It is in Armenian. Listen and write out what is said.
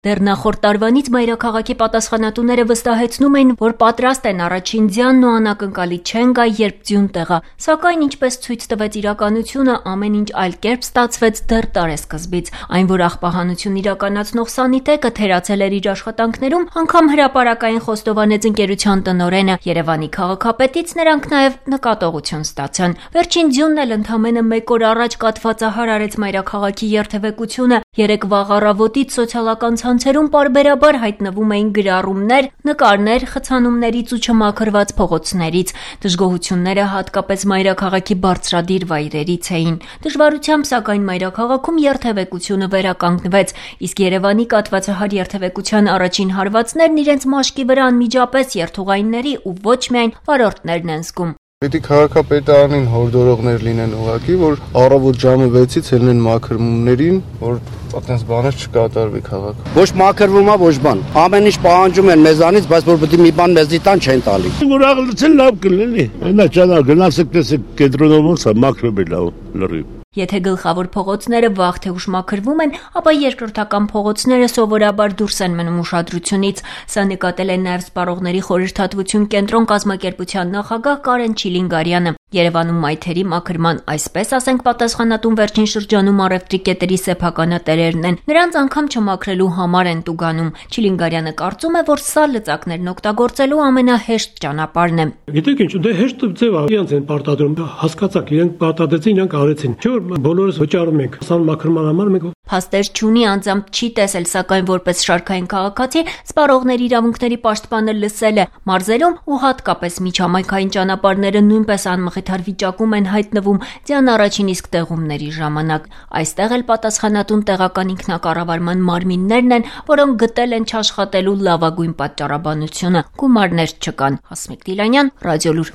Դեռ նախորդ տարվանից մայրաքաղաքի պատասխանատուները վստահեցնում էին, որ պատրաստ են առաջին ձյանն ու անակնկալի չեն գա, երբ ձյուն տեղա, սակայն ինչպես ցույց տվեց իրականությունը, ամեն ինչ այլ կերպ ստացվեց դեռ տարեսկզբից, այն որ աղբահանություն իրականացնող սանիտեկը թերացել էր իր աշխատանքներում, անգամ հրապարակային խոստովանեց ընկերության տնօրենը, Երևանի քաղաքապետից նրանք նաև նկատողություն ստացան։ Վերջին ձյունն էլ ընդամենը 1 օր առաջ կաթվածահար արեց մայրաքաղաքի երթևեկությունը, երեկ վաղ առավոտից սոցիալական ցանցերում պարբերաբար հայտնվում էին գրառումներ, նկարներ խցանումներից ու չմաքրված փողոցներից։ Դժգոհությունները հատկապես մայրաքաղաքի բարձրադիր վայրերից էին։ Դժվարությամբ, սակայն մայրաքաղաքում երթևեկությունը վերականգնվեց, իսկ Երևանի կաթվածահար երթևեկության առաջին հարվածներն իրենց մաշկի վրա անմիջապես երթուղայինների ու ոչ միայն վարորդներն են զգում։ Պիտի քաղաքապետարանին հորդորողներ լինեն ուղղակի, որ առավոտ ժամը 6-ից ելնեն մաքրումներին, որ այդպես բաներ չկատարվի քաղաքում։ Ոչ մաքրվում է, ոչ բան։ Ամեն ինչ պահանջում են մեզանից, բայց որ պետք է մի բան մեզի տան չեն տալի։ Որ աղլցել լավ կլինի։ Այնա ճանա գնացեք տեսեք կենտրոնում ոնց է մաքրում է լավ լրիվ։ Եթե գլխավոր փողոցները վաղ թե ուշ մաքրվում են, ապա երկրորդական փողոցները սովորաբար դուրս են մնում ուշադրությունից։ Սա նկատել է նաև Սպառողների խորհրդատվություն կենտրոն կազմակերպության նախագահ Կարեն Չիլինգարյանը։ Երևանում մայթերի մաքրման այսպես ասենք պատասխանատուն վերջին շրջանում առևտրի կետերի սեփականատերերն են։ Նրանց անգամ չմաքրելու համար են տուգանում։ Չիլինգարյանը կարծում է, որ սա լծակներն օգտագործելու ամենահեշտ ճանապարհն է։ Գիտեք ինչ, դե հեշտ ձև է, իրենց են պարտադրում, հասկացաք, իրենք պարտադրեցին, իրենք արեցին։ Չէ՞ որ բոլորս վճարում ենք, սան մաքրման համար մենք Փաստեր չունի, անձամբ չի տեսել, սակայն որպես շարքային քաղաքացի Սպառողների իրավունքների պաշտպանը լսել է։ Մարզերում ու հատկապես միջհամայնքային ճանապարհները նույնպես անմխիթար վիճակում են հայտնվում ձյան առաջին իսկ տեղումների ժամանակ։ Այստեղ էլ պատասխանատուն տեղական ինքնակառավարման մարմիններն են, որոնք գտել են չաշխատելու լավագույն պատճառաբանությունը։ Գումարներ չկան։ Հասմիկ Դիլանյան, Ռադիոլուր։